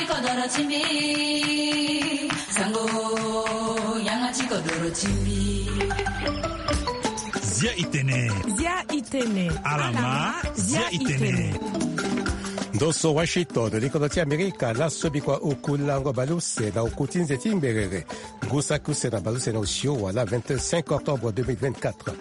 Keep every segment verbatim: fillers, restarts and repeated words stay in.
Kodoro ti mbi, sango, yanga ti kodoro ti mbi. Zia itene. Zia itene. Alama, zia itene. Ndo so Washington, likodo ti Amerika, laso bikua oku lango baleuse na oku ti nze ti ngberere. Ngu saki use na baleuse na osio wala vingt-cinq octobre deux mille vingt-quatre.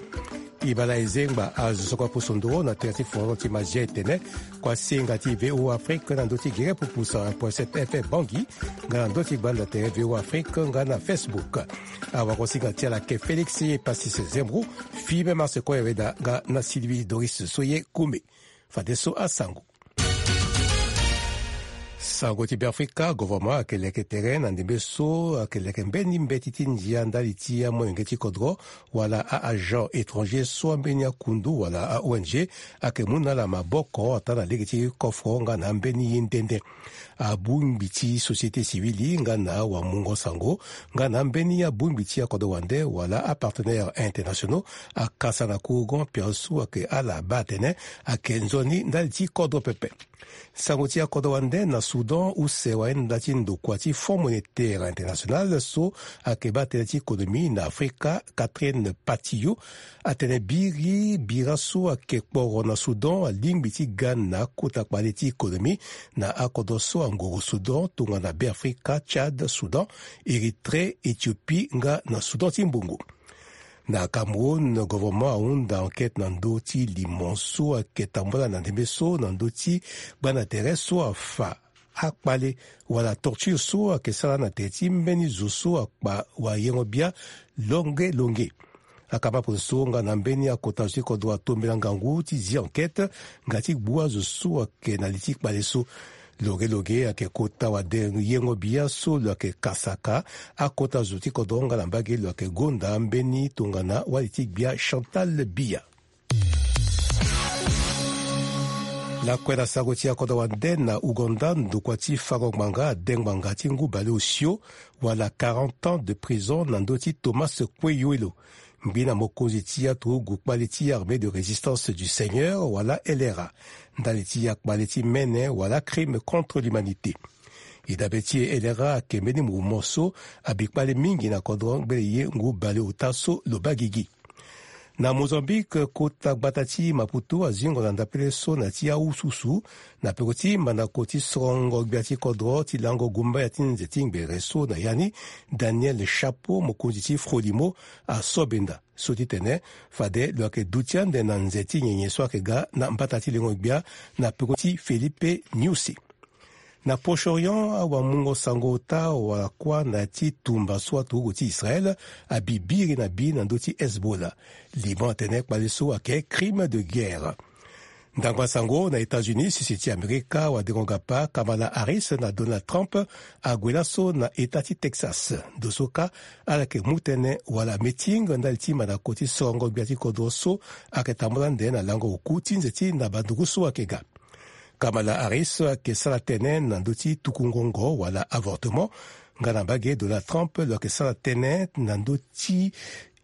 Ibala ezengba azo so kua pusu nduru na tere ti foro ti mazia etene, kua senga ti V O A Afrique na ndö ti gere pupusa un point sept F M Bangui, nga na ndö ti gbanda tere V O A Afrique nga na Facebook. Awakosinga ti ala ke Félix Pacis Zembrou, Fibe Marse Koyaweda nga na Sylvie Doris so ye kume. Fadeso asango. Sango ti Beafrika, gouvernement ayeke leke tere na ndembe so ayeke leke mbeni mbeti ti ndia ndali ti amolenge ti kodro wala a-agent étranger so ambeni akundu wala a-O N G ayeke mu na ala maboko ata na lege ti kofro nga na ambeni ye nde nde. Abongbi ti société civile nga na wamungo sango nga na ambeni abongbi ti akodro wande wala apartenaires internationaux akasa na courant piasu ayeke ala baa atene ayeke nzoni ndali ti kodro pepe. Sango ti akodro wande na Soudan use wayenda ti ndokua ti Fonds Monétaire International so ayeke baa tënë ti économie na Afrika, Catherine Patillo, atene biri bira so ayeke kporo na Soudan alingbi ti ga na akota kpale ti économie na akodro so angoro Soudan tongana Beafrika, Tchad, Soudan, Érythrée, Éthiopie nga na Soudan ti mbongo. Na Cameroun, gouvernement ahunda enquête na ndö ti limo so ayeke tambula na ndembe so na ndö ti gbanda tere so afa akpale wala torture so ayeke sara na tere ti mbeni zo so akpa wayengo-bia longe longe. Akama pono so nga na mbeni akota zo ti kodro atombela ngangu ti zi enquête nga ti gbu azo so ayeke na li ti kpale so. Longe longe ayeke kota wade yengo-bia so lo yeke kasaka akota zo ti kodro nga na mbage lo yeke gonda mbeni tongana wali ti gbia Chantal Biya. Lakue na sango ti akodro wande na Ouganda, ndokua ti fango ngbanga ade ngbanga ti ngu baleosio wala quarante ans de prison na ndö ti Thomas Kweyoelo, ngbi na mokonzi ti aturugu kpale ti Armée de Résistance du Seigneur wala L R A, ndali ti akpale ti mene wala crime contre l'humanité. E dabe ti e, L R A ayeke mbeni mouvement so abi kpale mingi na kodro ngbele ye ngu baleota so lo baa gigi. Na Mozambique, kota gbata ti Maputo azingo na ndapele so na ti awususu na peko ti mandako ti sorongo gbia ti kodro ti lango gumbaya ti nze ti ngbere so na ya ni, Daniel Chapo, mokonzi ti Frelimo, asobenda so ti tene fade lo yeke duti ande na nze ti nyenye so ayeke ga na mbata ti lengo gbia na peko ti Felipe Nyusi. Na Proche-Orient, awamungo sango ota wala kuâ na ya ti tumba so aturugu ti Israël abi biri na bi na ndö ti Hezbollah. Liban atene kpale so ayeke crime de guerre. Ndangba sango na États-Unis, sese ti Amerika, wadengo gapa Kamala Harris na Donald Trump ague laso na eta ti Texas. Ndo so kâ ala yeke mu tënë wala meeting ndali ti mandako ti sorongo gbia ti kodro so ayeke tambula ande na lango oku ti nze ti na banduru so ayeke ga. Kamala Harris ayeke sara tënë na ndö ti tuku ngongo wala avortement, nga na mbage Donald Trump lo yeke sara tënë na ndö ti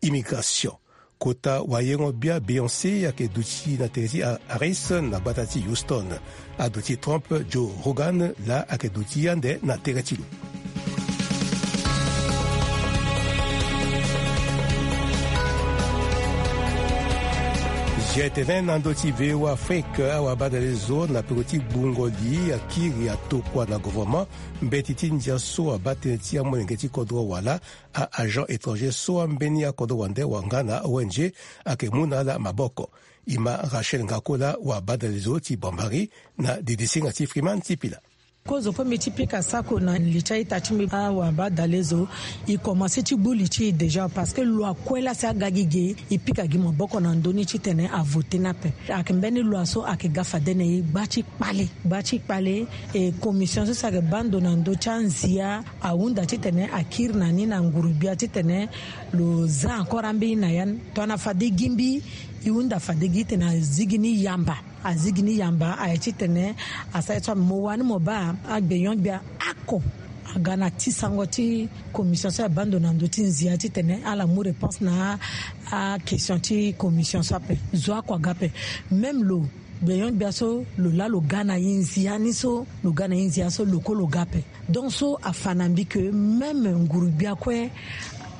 immigration. Kota wayengo-bia Beyoncé ayeke duti na tere ti Harris na gbata ti Houston. Aduti Trump, Joe Rogan laa ayeke duti ande na tere ti lo. Zia tene na ndö ti V O A Afrique, awabadalezo na peko ti gbungo li akiri atokua na gouvernement mbeti ti ndia so abaa tënë ti amolenge ti kodro wala a-agent étranger so ambeni akodro wande wala nga na O N G ayeke mu na ala maboko. E ma Rachel Ngakola, wabadalezo ti Bambari, na didisinga ti Freeman ti Pila. Kozo pe mbi ti pika sako na li ti a-ita ti mbi, awabadalezo, e komanse ti gbu li ti e déjà, parce que loi kue laa si aga gi ge, e pika gi maboko na ndö ni titene avote ni ape. Ayeke mbeni loi so ayeke ga fade na e gba ti kpale, gba ti kpale. E commission so si ayeke baa ndo na ndö ti anzia ahunda titene akiri na ni na nguru-gbia titene lo za encore ambeni na ya ni. Tongana fade gi mbi, e hunda fade gi titene azi gi ni yamba. Azi gi ni yamba aye titene asara ye so ame mo wani mo baa agbenyo-gbia oko aga na ti sango ti commission so abaa ndo na ndö ti nzia titene ala mu réponse na a-question ti commission so ape. Zo oko aga ape. Même lo Gbenyon-gbia so lo laa lo ga na e nzia ni so, lo ga na e nzia so lo kue lo ga ape. Donc so afa na mbi ke même nguru-gbia kue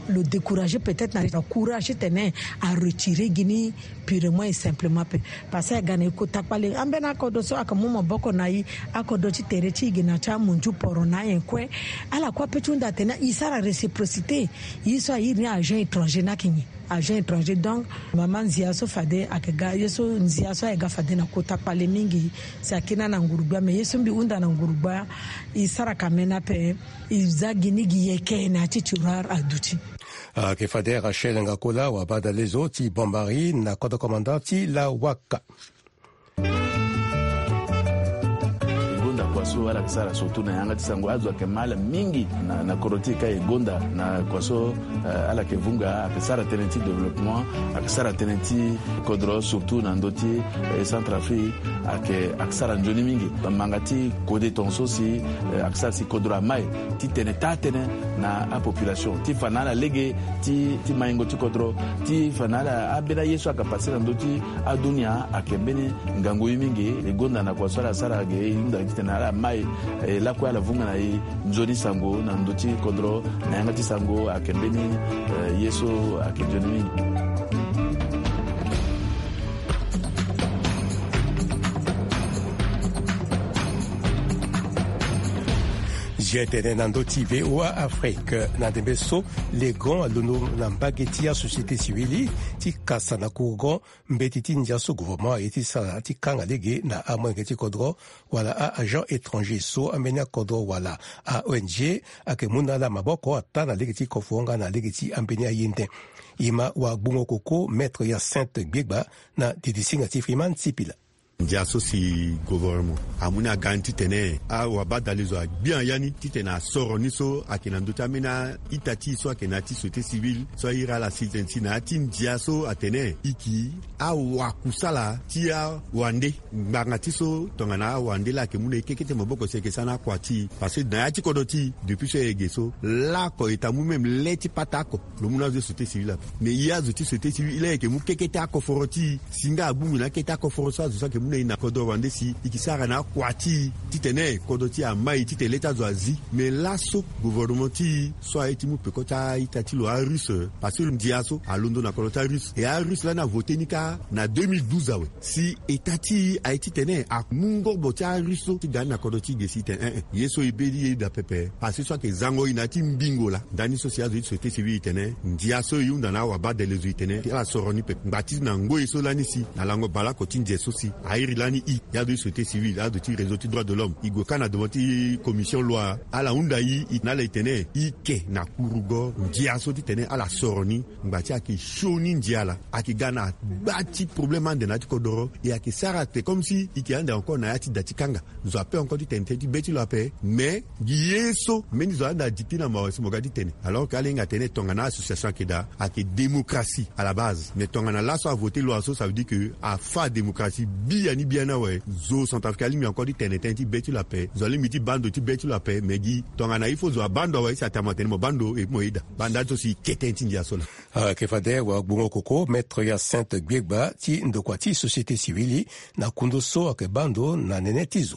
lo décourager peut-être na courage titene aretirer gi ni purement et simplement ape. Parce que aga na e kota kpale ambeni akodro so ayeke mu maboko na e, akodro ti tere ti e ge na ti amunzu poro na anyen kue. Ala kue ape ti hunda atene e sara réciprocité. Ye so airi ni agent étranger ni ayeke nyen? Agent étranger. Donc mama, nzia so fade ayeke ga, ye so nzia so ayeke ga fade na kota kpale mingi. Si akiri na nguru-gbia, mais ye so mbi hunda na nguru-gbia, e sara kamene ape. E za gi ni gi yeke na ya ti tiroir aduti. Ayeke fade Rachel Ngakola, wabadalezo ti Bombari na kodro commandant ti Lawaka. E gonda kua so ala yeke sara surtout na yanga ti sango, azo ayeke mal mingi na, na kodro ti e ka e gonda na kua so, eh, ala yeke vunga, ayeke sara tënë ti développement, ayeke sara tënë ti kodro surtout na ndö ti, eh, Centrafrique, ayeke, ayeke sara nzoni mingi. Manga ti kode tongaso si, eh, ayeke sara si kodro amai titene taa tënë na apopulation ti fa na ala lege ti, ti maingo ti kodro, ti fa na ala ambeni aye so ayeke pase na ndö ti adunia ayeke mbeni ngangu ye mingi. E gonda na kua so ala sara ge, e hunda titene ala mai, e lakue ala vunga na e nzoni sango na ndö ti kodro na yanga ti sango ayeke mbeni, eh, ye so ayeke nzoni mingi. Zia tene na ndö ti V O A Afrique na ndembe so Legon alondo na mbage ti asociété civile ti kasa na kourgon mbeti ti ndia so gouvernement aye ti sara ti kanga lege na amolenge ti kodro wala a-agent étranger so ambeni akodro wala a-O N G ayeke mu na ala maboko ata na lege ti kofonga na lege ti ambeni aye nde. E ma wagbongo koko Maître Hyacinthe Gbiegba na didisinga ti Freeman Sipila. Ndia so si gouvernement amu ni aga ni titene awabadalezo agbia ya ni titene asoro ni so ayeke na ndö ti ambeni a-ita ti e so ayeke na ya ti société civile so ahiri ala si tene si na ya ti ndia so atene e yeke awakusala ti awande ngbanga ti so tongana awande laa ayeke mu na e kekete maboko si ayeke sara na akua ti e. Parce que na ya ti kodro ti e depuis so e yeke ge so laoko e ta mu même le ti pata oko. Lo mu na azo ti société civile ape. Mais e azo ti société civile e laa e yeke mu kekete akoforo ti e si nga agbungu na akete akoforo so azo so ayeke mu na e na kodro wande si e yeke sara na akua ti e titene kodro ti e amai titene le ti azo azi. Mais laso gouvernement ti e so aye ti mu peko ti a-ita ti lo arusse parce que ndia so alondo na kodro ti arusse. E arusse lani avote ni kâ na deux mille douze awe. Si état ti e aye titene amu ngorbo ti arusse so ti ga ni na kodro ti e ge si tene eh eh ye so e be ti eda pepe. Parce que so ayeke zango e na ya ti mbingo laa. Ndani so si azo ti société civile e tene ndia so e hunda na awabadalezo e tene ala soro ni pepe ngba ti na ngoi so lani si na lango baleoko ti nze so si airi lani e. E azo ti société civile, azo ti réseau ti droit de l'homme e gue kâ na devant ti commission loi. Ala hunda e, e na ala e tene e ke na kurugo ndia so titene ala soro ni ngba ti ayeke sioni ndia laa. Ayeke ga na gba ti problème ande na ya ti kodoro. E ayeke sara te comme si e yeke ande encore na ya ti da ti kanga. Zo ape encore ti tene tënë ti be ti lo ape. Mais gi ye so mbeni zo ande adikti na mawa si mo ga ti tene. Alors que ala hinga tene tongana association ayeke daa ayeke démocratie à la base. Mais tongana laso avote loi so ça veut dire que afa démocratie biani biani awe. Zo centrafricain alingbi encore ti tene tënë ti be ti lo ape. Zo alingbi ti baa ndo ti be ti lo ape. Mais gi tongana il faut zo abaa ndo awe si atene mo tene mo baa ndo et puis mo yeda. Banda so si e ke tënë ti ndia so laa. Ayeke fade wagbongo koko Maître Hyacinthe Gbiegba ti ndokua ti société civile na kundu so ayeke baa ndo na nene ti zo.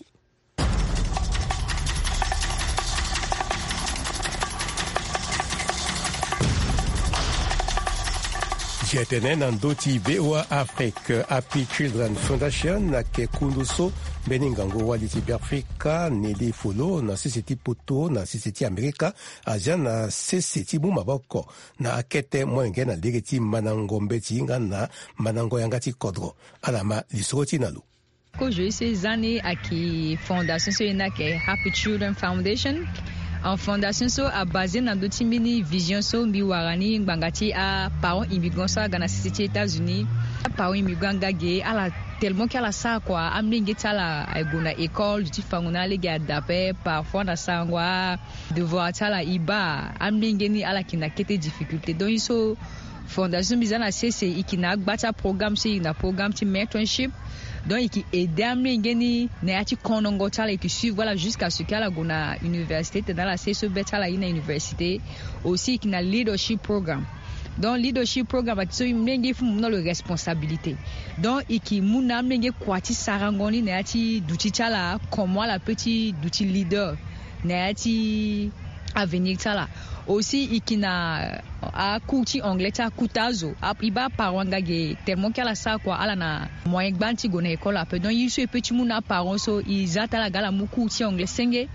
Zia tene na ndö ti V O A Afrique, Happy Children Foundation ayeke kundu so mbeni ngangu wali ti Beafrika Nelly Folo na sese ti poto na sese ti Amerika azia na sese ti mu maboko na akete molenge na lege ti mandango mbeti nga na mandango yanga ti kodro. Ala ma lisoro ti e na lo. Kozo ye so e za ni ayeke fondation so e na ayeke Happy Children Foundation. En fondation so abase na ndö ti mbeni vision so mbi wara ni ngbanga ti aparent immigrant so aga na sese ti États-Unis. Aparent immigrant aga ge ala tellement ke ala sara kua amolenge ti ala ague na école ti fango na alege ada ape parfois na sarango a devoir ti ala e baa amolenge ni ala yeke na kete difficulté. Donc ye so fondation so mbi za na sese e yeke na agba ti aprogramme so e yeke na programme ti mentorship. Donc e yeke aide amolenge ni na ya ti konongo ti ala e yeke suivre ala jusqu'à ce que ala gue na université tene ala sara ye so be ti ala aye na université. Aussi e yeke na leadership programme. Donc leadership programme ati so i mlenge i fu mu na lo responsabilité. Donc i ki mu na amlenge kua ti sarango ni na ya ti duti ti ala, comment ala pe ti duti leader na ya ti avenir ti ala. Aussi i ki na acours ti anglais ti akuta azo. I baa aparent nga ge tellement ke ala sara kua, ala na moyen gbani ti gue na école ape. Donc i so i pe ti mu na aparent so i za ti ala ga ala mu cours ti anglais senge,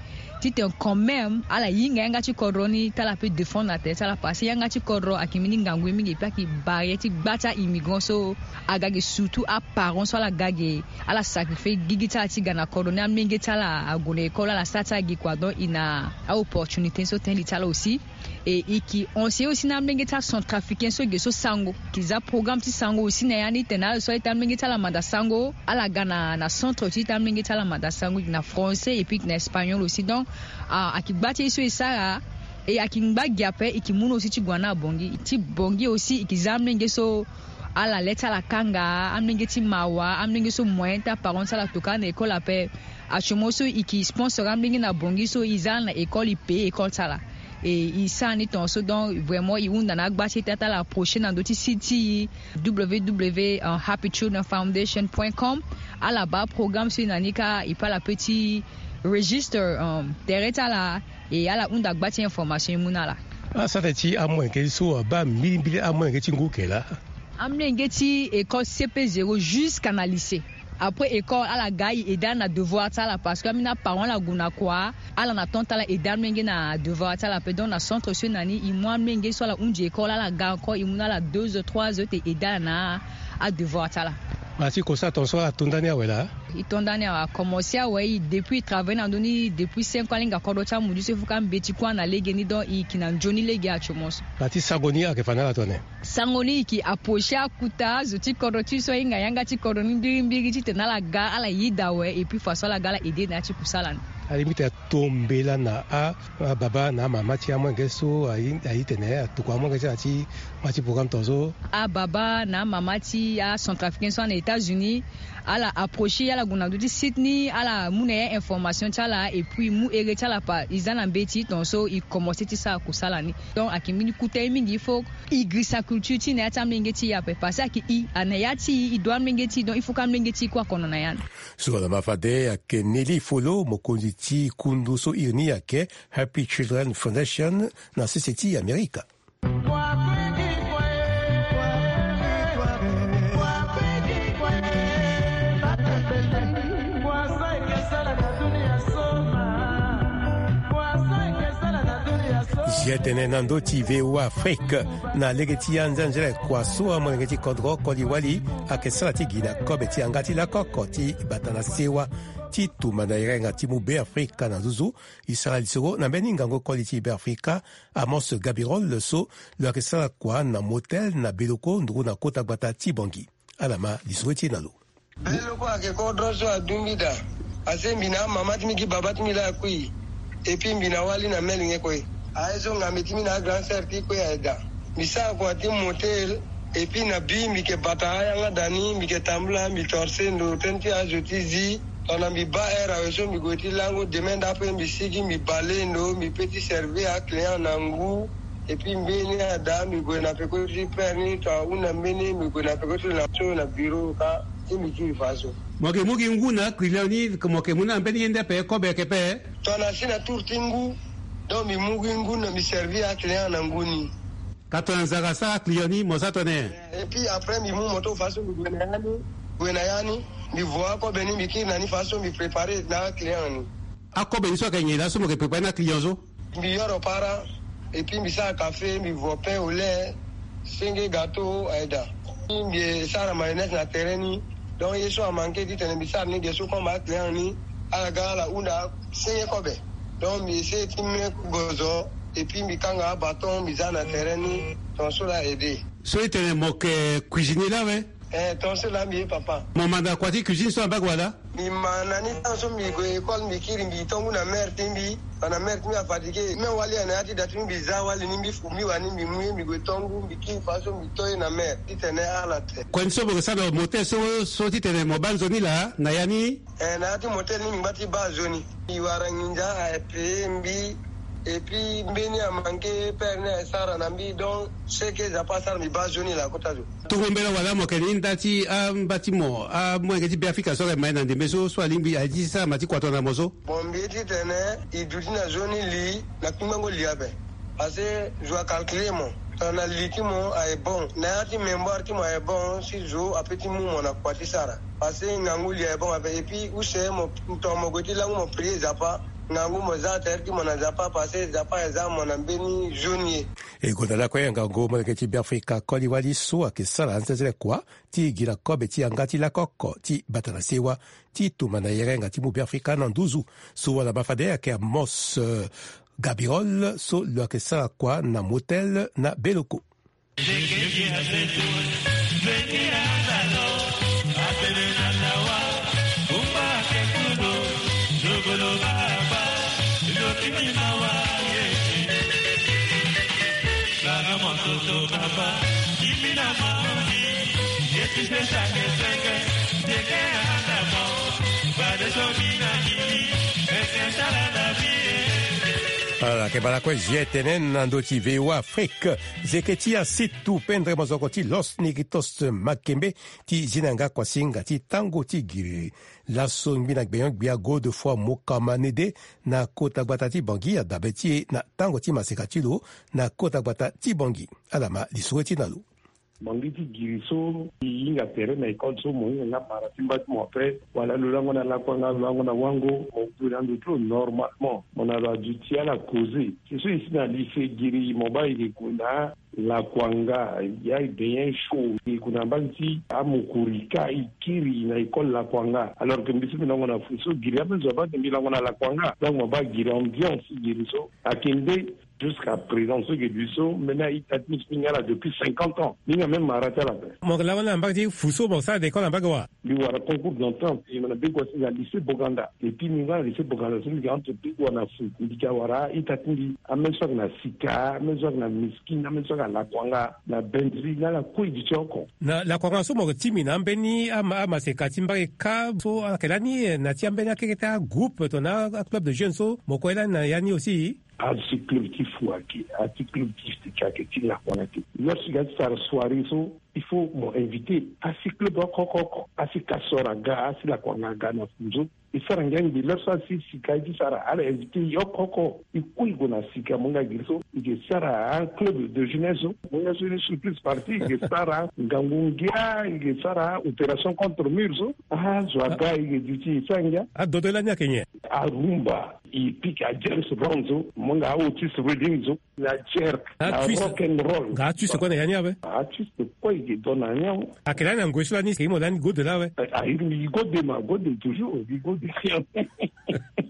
titene quand même ala hinga yanga ti kodro ni ti ala pe défendre na tere ti ala. Parce que yanga ti kodro ayeke mbeni ngangu ye mingi, et puis ayeke barrière ti gba ti a-immigrant so aga ge, surtout aparent so ala ga ge, ala sacrifier gigi ti ala ti ga na kodro ni. Amlenge ti ala ague na école, ala sara ti ala gi kua. Donc i na aopportunité so tënë li ti ala aussi. Et i ki enseigne aussi na amlenge ti acentrafricain so ge so sango, ki za programme ti sango aussi na ya ni, tene ala so ayeke amlenge ti ala manda sango, ala ga na na centre ti ita amlenge ti ala manda sango, i ki na français et puis i ki na espagnol aussi. Donc a, ayeke gba ti ye so e sara. Et ayeke ngba gi ape, i ki mu na aussi ti gue na abongi ti bongi aussi, i ki za amlenge so ala le ti ala kanga, amlenge ti mawa, amlenge so moyen ti aparent ti ala toka na école ape. Actuellement so i ki sponsor amlenge na bongi so i za ala na école, i paye école ti ala. Et i sara ni tongaso. Donc vraiment i hunda na agba ti e ti ala approcher na ndö ti site ti i, www happy children foundation point com. Ala baa programme so i na ni kâ, i pe ala pe ti registre um, tere ti ala. Et ala hunda gba ti information i mu na ala. Asara ti amoyen keli so abaa mbilimbili amoyen keli ti ngu ke laa? Amlenge ti école C P zéro jusqu'à na lycée. Après école ala ga i aide ala na devoir ti ala, parce que ambeni aparent ala gue na kua, ala na temps ti ala aide amlenge na devoir ti ala ape. Donc na centre so i na ni i mu amlenge so ala hunzi école, ala ga encore i mu na ala deux heures trois heures ti aide ala na adevoir ti ala. Mara ti kosa tongaso ala to ndani awe laa? I to ndani awe, akomense awe. I depuis i travaille na ndö ni depuis cinq ans, alinga kodro ti amudu so i fuka mbeti kue na legeni. Donc i ki na nzoni lege actuellement so. Mara ti sango ni ayeke fa na ala tone? Sango ni i ki approcher akuta zo ti kodro ti so ahinga yanga ti kodro ni mbirimbiri titene ala ga ala yeda awe, et puis façon ala ga ala aide na ya ti kusala ni. Alingbi tene ato mbela na a, ababa na amama ti amolenge so aye, aye tene atokua amolenge ti ala ti ma ti programme tongaso? Ababa na amama ti acentrafricain so ana États-Unis, ala approcher ala gue na ndö ti site ni, ala mu na ya information ti ala, et puis mu ere ti ala pa i za na mbeti tongaso i commencer ti sara kusala ni. Donc ayeke mbeni kota ye mingi, il faut i girisa culture ti i na ya ti amolenge ti i ape, parce que ayeke i, a na ya ti i, i doit amolenge ti i, donc il faut que amolenge ti i kue akono na ya ni. So ala ma fade ayeke Nelly Folo, mokonzi ti kundu so iri ni ayeke Happy Children Foundation na sese ti Amerika. Zia tene na ndö ti V O A Afrique na lege ti anzenzele kua so amolenge ti kodro koli wali ayeke sara ti gi na kobe ti yanga ti lakoko ti bata na sewa ti tumba na erenga ti mu Beafrika na nzuzu. E sara lisoro na mbeni ngangu koli ti Beafrika, Amos Gabirol, so lo yeke sara kua na motel na Beloko nduru na kota gbata ti Bangui. Ala ma lisoro ti e na lo. Beloko ayeke kodro so adungbi daa. Asi mbi na amama ti mbi gi baba ti mbi laa akui. Et puis mbi na wali na meli nge kue. Aye so ngambe ti mbi na agrand sœur ti kue aye daa. Mbi sara kua ti motel. Et puis na bi mbi yeke bata ayanga daa ni, mbi yeke tambula, mbi torse ndo tënë ti azo ti zi. Tongana mbi baa heure awe so mbi gue ti lango, demain ndape mbi sigi mbi bale ndo, mbi pe ti servir aclient na ngu. Et puis mbeni ada mbi gue na peko ti père ni, tongana ahunda mbeni mbi gue na peko ti lo na so na bureau kâ. Ti mbi kiri faso. Mo yeke mu gi ngu na aclient ni, mo yeke mu na mbeni ye nde ape, kobe ayeke pe? Tongana si na tour ti ngu, donc mbi mu gi ngu na mbi servir aclient na ngu ni. Ka tongana nzara asara aclient ni mo sara tongana nyen? Et puis après mbi mu moto faso mbi gue na ya ni, gue na ya ni, mbi vo akobe ni mbi kiri na ni faso mbi préparer na aclient ni. Akobe ni so ayeke nyen laa so mo yeke préparer na aclient so? Mbi yoro para, et puis mbi sara café, mbi vo pain au lait, senge gâteau aye daa. Mbi sara mayonnaise na tere ni. Donc ye so amanke titene mbi sara ni ge so comme aclient ni, ala ga ala hunda senge kobe. Donc mbi essayer ti me gozo, et puis mbi kanga abâton mbi za na tere ni. Tongaso laa aide. So e tene mo yeke cuisinier laa awe? Eh, tongaso laa mbi ye papa. Mo manda kua ti cuisine so na mbage wala? Mbi ma na ni, tango so mbi gue école mbi kiri mbi to ngu na mère ti mbi. Tongana mère ti mbi afatigue, même wali aye na ya ti da ti mbi, mbi za wali ni, mbi fu mbi wani, mbi mu ye mbi gue to ngu, mbi kiri faso mbi to ye na mère titene ala te. Kua ni so mo yeke sara na motel so, so titene mo baa nzoni laa na ya ni? Eh, na ya ti motel ni mbi ngba ti baa nzoni. Mbi wara nginza aye payer mbi. Et puis mbeni amanke pere ni asara na mbi, donc ce que Nzapa asara mbi baa zo ni la kota zo. Tongombe la wala mo yeke ni nda ti amba ti mo amolenge ti Beafrika so ayeke ma ye na ndembe so so alingbi aye ti sara ma ti kua tongana mo so. Bon, mbi ye ti tene e duti na zo ni li na kpingbango li ape. Parce que zo acalcule mo tongana li ti mo aye bon, na ya ti mémoire ti mo aye bon, si zo ape ti mu mo na kua ti sara. Parce que ngangu li aye bon ape. Et puis use mo, tongana mo gue ti langu mo prier Nzapa, ngangu mo za tere ti mo na Nzapa, parce que Nzapa aye za mo na mbeni zo ni ye. E gonda lakue ngangu molenge ti Beafrika koli wali so ayeke sara anzenzele kua ti gi na kobe ti yanga ti lako oko ti bata na sewa ti tuma na yerenga ti mu Beafrika na nduzu. So wala ma fade ayeke Amos, eh, Gabirol so lo yeke sara kua na motel na Beloko. Ala yeke baa lakue zi tene na ndö ti V O A Afrique. Zeke ti asitu pendre mozoko ti Los Negritos Makembe ti zi na yanga kuasinga ti tango ti giri. Laso ngbi na gbenyo-gbia Godefroid Mokamanede na kota gbata ti Bangui adabe ti e na tango ti maseka ti lo na kota gbata ti Bangui. Ala ma lisoro ti na lo. Mo ngi ti giri so, e hinga tere na école so, mo hinga nga mara ti mba ti mo ape, wala lo lango na lakuanga, lo lango na wango, mo gue na ndo ti lo normalement. Mo na lo aduti ala causer. Si so e si na lycée giri, mo baa e ke gue na lakuanga, ya e benyen chaud, e gue na mbage ti amokori ka e kiri na école lakuanga. Alors que mbi so mbi lango na fou so giri, ape zo abaa ke mbi lango na lakuanga. Donc mo baa giri ambiance giri so. Ayeke nde Jusqu'à présent, so e ke duti so, mbeni a-ita ti mbi so mbi hinga ala depuis cinquante ans. Mbi hinga même mara ti ala ape. Mo laa wani na mbage ti fou so mo sara d'école na mbage wa? Mbi wara concours d'entrée, mbi na mbage wa so na lycée Boganda. Et puis mbi hinga na lycée Boganda so mbi ke entre mbage wa na fou. Mbi ke wara a-ita ti mbi, ameni so ayeke na Sika, ameni so ayeke na Miskine, ameni so ayeke na Lakuanga, na Bendri, na ala kue e duti oko. Na Lakuanga so mo ti mbi na ambeni ama, amaseka ti mbage ka so ayeke lani na ti ambeni akeke ti agroupe tongana aclub de jeunes so mo kue lani na ya ni aussi? Asi club ti fou ayeke, asi club ti sika ayeke, ti lakuanga ayeke. Lorsque ga ti sara soirée so, il faut mo inviter asi club oko oko oko, asi Castor aga, asi Lakuanga aga na fou so. E sara ngia ngbi lorsque asi sika e ti sara, ala inviter e oko oko. E kue e gue na sika, mo nga giri so e ke sara un club de jeunesse so. Mo nga so ni surprise party, e ke sara ngangu ngia, e ke sara opération contre mur so. Ah, zo aga e ke duti e sara ngia. Adodo lani ayeke nyen? Arumba. E pika James Brown so, mo nga Otis Redding so, na jerk, na rock and roll. Nga artiste kue na ya ni awe? Artiste kue e ke don na ya ni awe. Ayeke lani na ngoi so lani, e ke mo lani Gode laa awe? Ah, e ke Gode ma, Gode toujours, e ke Gode.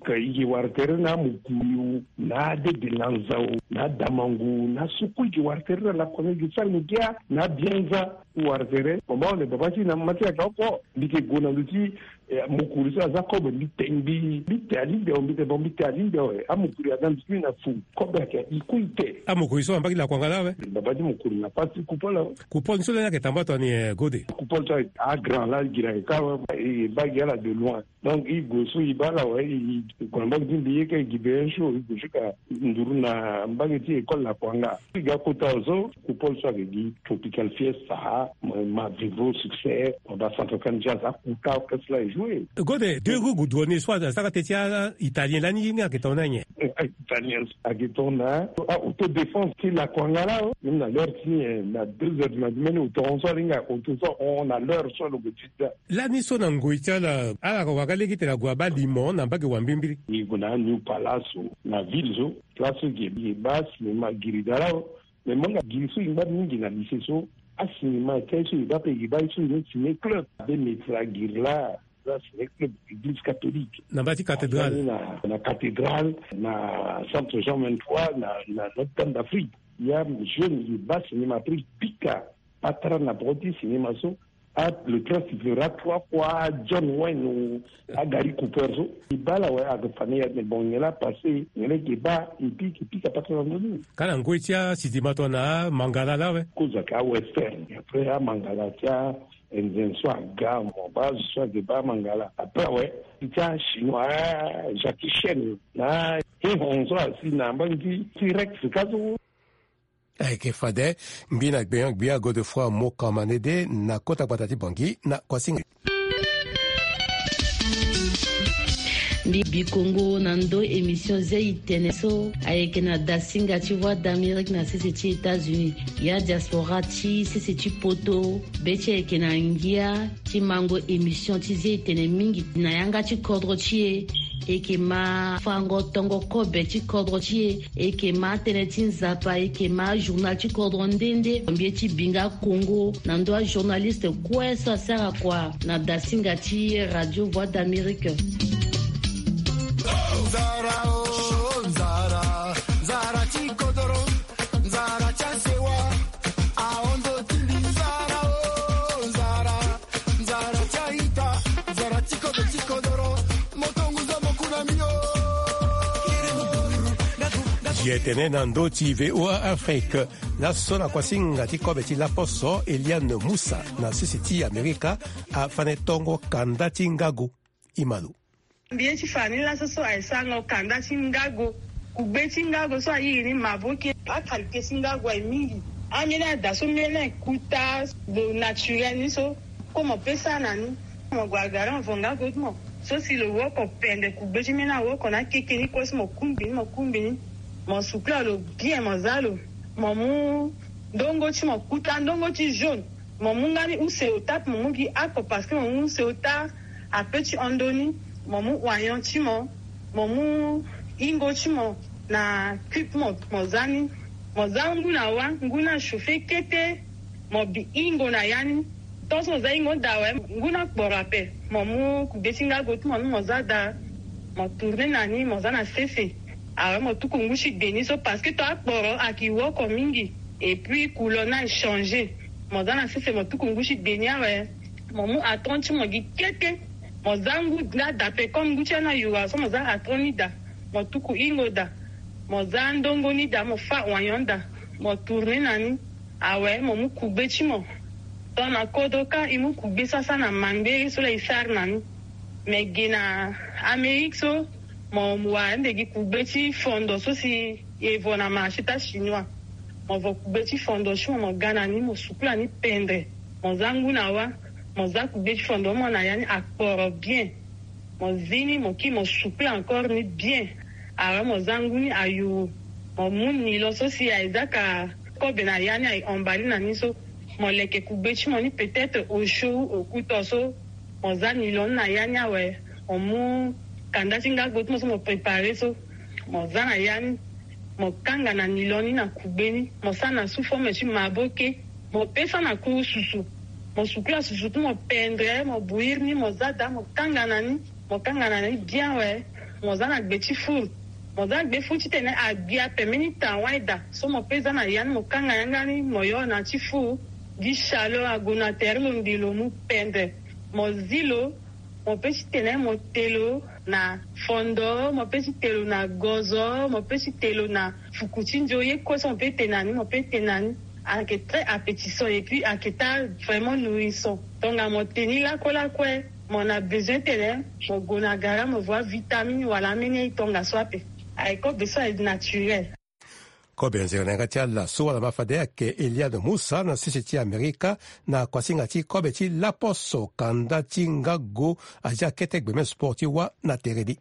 Ka e ke wara tere na Mukuyu, na Dede Lanza o, na Damangu, na so kue e ke wara tere na Lakuanga, e ke sara ngia na Bianza. Wara tere, mo baa, baba ti na mama ti ayeke oko, mbi ke gue na ndö ti Eh, mokuri so aza kobe, mbi te, mbi, mbi te alingbi awe, mbi te, bon, mbi te alingbi awe. Amokuri aga nduti mbi na fou, kobe ayeke, e kue e te. Amokuri so na mbage ti Lakuanga laa awe? Baba ti mokuri na pasi ti Coupole awe. Coupole ni so lani ayeke tambula tongana ni, eh, Gode? Coupole so agra laa, gira ayeke ka awe, e baa gi ala de loin. Donc e gue so e baa ala awe, e gue na mbage ti mbi, e ka e gi be un jour, e gue jusqu'à nduru na mbage ti école Lakuanga. E ga kota awe so, Coupole so ayeke gi Tropical Fiesta, ma, ma Vivo Succès, ma ba Centrafricaine Jazz, akota orchestre la e joué. Gode, deux roues goudronnées so asara teti a-Italien lani, ni ayeke tongana nyen? Italien so ayeke tongana a-autodéfense ti Lakuanga laa o. Même na l'heure ti ni, eh, na deux heures du matin, mbeni auto hon so alinga auto so ahon na l'heure so lo gue ti da. Lani so na ngoi ti ala, ala wara lege ti tene ague abaa limo na mbage wambimbiri. E gue na New Palace so, na ville so, place so e baa cinéma giri da laa o. Mais mo nga giri so e ngba mingi na lycée so, acinéma ti aye so e baa ape, e baa ye so e ni ciné club. Abe Maître Aguirre laa, aza ciné club église catholique. Na mbage ti cathédrale. Aza ni na, na cathédrale, na centre Jean vingt-trois, na, na Notre-Dame d'Afrique. Ya jeune e baa cinéma, après e pika patara na poko ti cinéma so. Ah, le train sifflera trois fois, John Wayne ou a Gary Cooper so. E baa ala awe, ayeke fa ni ya, mais bon, nyen la apassé, nyen la e ke baa, et puis e ke pika patara na ndö ni. Ka na ngoi ti asitima tongana Mangala laa awe? Kozo ayeke a-western, après a-Mangala ti a-Indien so aga, mo baa azo so ayeke baa Mangala. Après awe, ti a-Chinois, a-Jackie Chan na Honzo asi na mbangi ti Rex ka so. Ayeke fade, mbi na gbenyo-gbia Godefroid Mokamanede na kota gbata ti Bangui na Koasinga. Mbi Bikongo na ndo émission ze itene so ayeke na dasinga ti Voix d'Amérique na sese ti États-Unis. Ya diaspora ti sese ti poto, be ti ayeke na ngia ti mango émission ti ze itene mingi na yanga ti kodro ti e. E yeke ma fango tongo kobe ti kodro ti e. E yeke ma tënë ti Nzapa, e yeke ma journal ti kodro nde nde. Mbi ye ti binga Kongo na ndo ajournaliste kue so asara kua na dasinga ti Radio Voix d'Amérique. Nzara, oh, nzara, nzara ti kodoro, nzara ti asewa, ahondo ti mbi, nzara, oh, nzara, nzara ti aita, nzara ti kodo ti kodoro, moto nguza mokuna mio. Ye tene na ndo ti V O A Afrique, laso na kuasinga ti kobe ti laposo, Eliane Moussa na sese ti Amerika, afane tongo kanda ti ngago. Imalo. Mbi ye ti fa ni laso so aye sango kanda ti ngago. Kugbe ti ngago so airi ni maboke. Akalité ti ngago aye mingi. Ambeni ada so mbeni aye kuta lo naturel ni so. Kue mo pesa na ni. Mo gue agara mo vo ngago ti mo. So si lo woko pende kugbe ti mbeni awoko na akeke ni kue so mo kumbi ni, mo kumbi ni. Mo sukula lo bien, mo za lo. Mo mu ndongo ti mo kuta, ndongo ti jaune. Mo mu nga ni use ota ape, mo mu gi ako parce que mo mu use ota ape ti hon ndo ni. Mo mu oignon ti mo, mo mu hingo ti mo na cube mo, mo za ni. Mo za ngu na wa, ngu ni achauffer kete. Mo bi hingo na ya ni. Tant so mo za hingo daa awe, ngu ni akporo ape. Mo mu kugbe ti ngago ti mo ni mo za daa. Mo tourner na ni, mo za na sese. Awe mo tuku ngu ti gbe ni so parce que tant akporo ayeke woko mingi. Et puis couleur ni achanger. Mo za na sese mo tuku ngu ti gbe ni awe. Mo mu atron ti mo gi kete. Mo za ngu ni daa ape comme ngu ti ya ni ayura so mo za atron ni daa. Mo tuku hingo daa. Mo za ndongo ni daa, mo fâ oignon daa. Mo tourner na ni. Awe mo mu kugbe ti mo. Tongana kodro kâ e mu kugbe so asara na mangbere so laa e sara na ni. Me ge na Amérique so, mo wara nde gi kugbe ti fondo so si e vo na marché ti achinois. Mo vo kugbe ti fondo ti mo, mo ga na ni, mo sukula ni pendre. Mo za ngu na wa, mo za kugbe ti fondo mo na ya ni akporo bien. Mo zi ni, mo kiri mo sukula encore ni bien. Awe mo za ngu ni ayuru. Mo mu nilo so si aye zaka kobe na ya ni aye emballé na ni so. Mo leke kugbe ti mo ni peut-être au chaud ou au couteau so. Mo za nilo ni na ya ni awe. Mo mu kanda ti ngago ti mo so mo préparer so. Mo za na ya ni. Mo kanga na nilo ni na kugbe ni. Mo sara na sous forme ti maboke. Mo pesa na kuru susu. Mo sukula susu ti mo pendre, mo bouillir ni, mo za daa, mo kanga na ni. Mo kanga na ni bien awe. Mo za na gbe ti four. Mo za gbe four titene agbi ape mbeni temps wani daa. So mo pe za na ya ni, mo kanga yanga ni, mo yo na ti four. Gi chaleur ague na tere lo nde lo mu pendre. Mo zi lo. Mo pe ti tene mo te lo na fondo, mo pe ti te lo na gozo, mo pe ti te lo na fuku ti nzo, ye kue so mo pe te na ni, mo pe te na ni. Ayeke très appétissant et puis ayeke ta vraiment nourrissant. Tongana mo te ni lakue lakue, mo na besoin tene mo gue na gara mo vo avitamine wala ambeni aye tongaso ape. Ayeke kobe so aye naturel. Kobe nzere na yanga ti ala so wala ma fade ayeke Eliane Moussa na sese ti Amerika na kuasinga ti kobe ti laposo kanda ti ngago. Azia kete gbeme sport ti wâ na tere ni.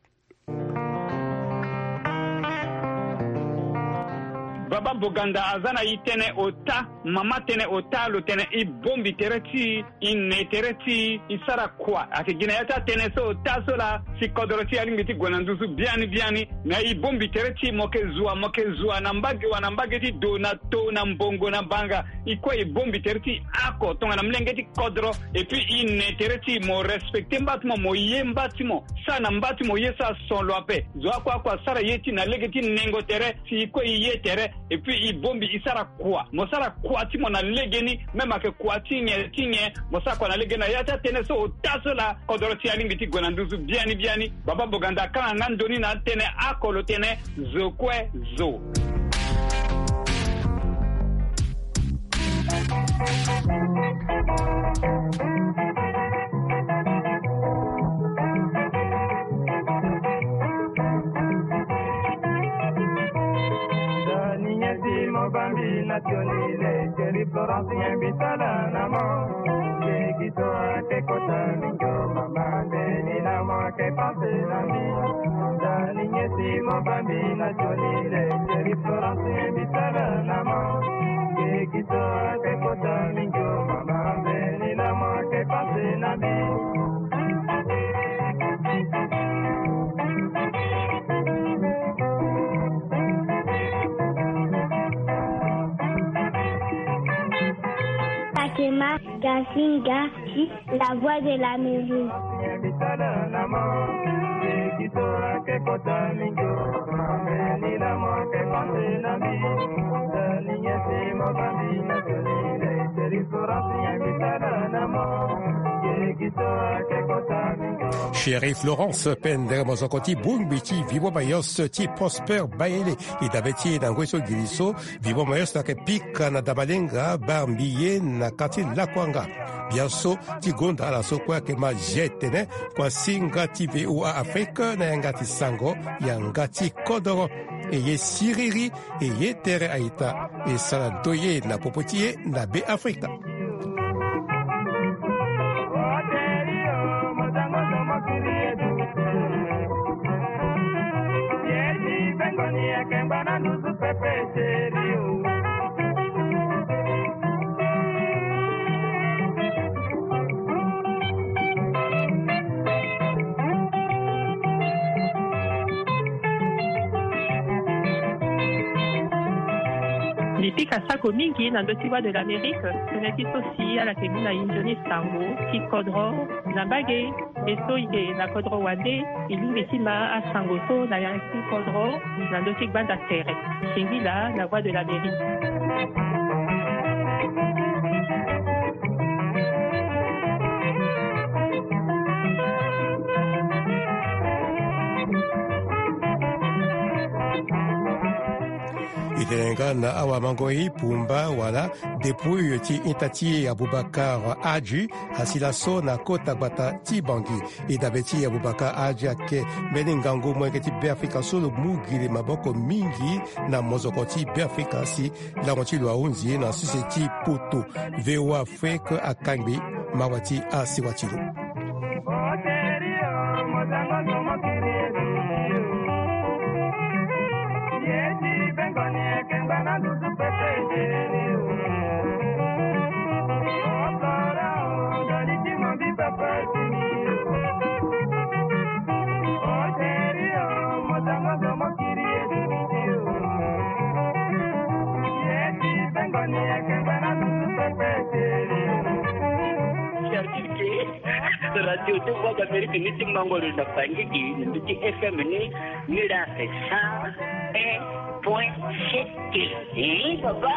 Baba Boganda aza na e tënë ota, mama tënë ota, lo tene e bongbi tere ti e, e ne tere ti e, e sara kua. Ayeke gi na ya ti atënë so ota so laa si kodro ti e alingbi ti gue na nduzu biani biani. Me e bongbi tere ti e, mo yeke zua, mo yeke zua na mbage wa na mbage ti do na to na mbongo na banga. E kue e bongbi tere ti e oko tongana molenge ti kodro. Et puis e ne tere ti e, mo respecter mba ti mo, mo ye mba ti mo. Sara na mba ti mo ye so ason lo ape. Zo oko oko asara ye ti e na lege ti nengo tere, si e kue e ye tere. Et puis e bongbi e sara kua. Mo sara kua ti mo na legeni, même ayeke kua ti nyen ti nyen, mo sara kua na legeni na ya ti atënë so ota so laa kodro ti e alingbi ti gue na nduzu biani biani. Baba Boganda akanga nga ndoni na atënë oko, lo tene zo kue zo. Bambi na tioni le, chérie Florence, nyen mbi sala na mo? Kekito ake kota mingi o mama, ndeni na mo ake panse na mbi. Ndani nyesi mo bambi na tioni le, chérie Florence, nyen mbi sala na mo? Kekito ake kota mingi o mama, ndeni na mo ake panse na mbi. Fatima Gasinga, la voix de l'Amérique. Chérie Florence, pendere mozoko ti bongbi ti Vivant Mayotte ti Prosper Bayele. E dabe ti e na ngoi so gili so, Vivant Mayotte ayeke pika na Damalenga, Barmbiye, na quartier Lakuanga. Biaso ti gonda ala so kue ayeke ma G T N, kuasinga ti V O A Afrique na yanga ti sango, yanga ti kodoro. E ye siriri, e ye tere a-ita, e sara ndoye na popo ti e na Be Afrika. Mbi pika sako mingi na ndö ti Voix de l'Amérique, tënë ti so si ala yeke mu na e nzoni sango ti kodro na mbage. E so e yeke na kodro wande, e lingbi ti ma asango so na yanga ti kodro na ndö ti gbanda tere. Singila na Voix de l'Amérique. E tene nga na awamango-i Pumba wala dépouille ti ita ti e Aboubacar Hadji, asi laso na kota gbata ti Bangui. E dabe ti e Aboubacar Hadji ayeke mbeni ngangu molenge ti Beafrika so lo mu gi li maboko mingi na mozoko ti Beafrika si lango ti lo ahunzi na sese ti poto. V O A Afrique akangbi mawa ti asewa ti lo. Radio ti Voix d'Amérique ni ti mango lo na fangiki na ndö ti F M ni, ni la cent un point sept. Eh, papa.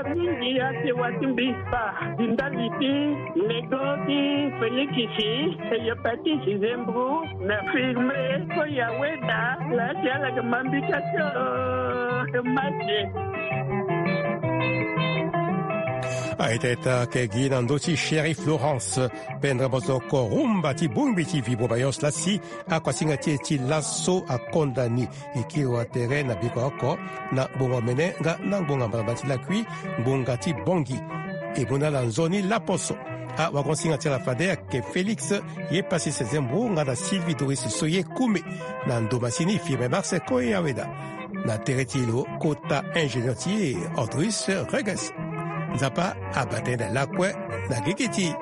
Mingi ake wa ti mbi kpa di ndali ti nego ti Félix, hépatite, zembro, na firme, ko ya weda la ti ala ke mambika ti o mate. Aita ita ke gi na ndö ti Chérie Florence, pendere mozoko rumba ti bongbi ti Vivant Mayotte la si akuasinga ti e ti laso akonda ni. E kiri wa tere na biko oko na ngbonga omene nga na ngbonga mbalambala ti lakui, ngbonga ti Bangui. E mu na ala nzoni laposo. Awagosinga ti ala fade ayeke Félix, ye pasi sezembro nga na Sylvie Doris so ye kume. Na ndo masini firme Marseille ko ye aweda. Na tere ti lo kota ingénieur ti e Andrus Reges. Nzapa abate na lakue na gigi ti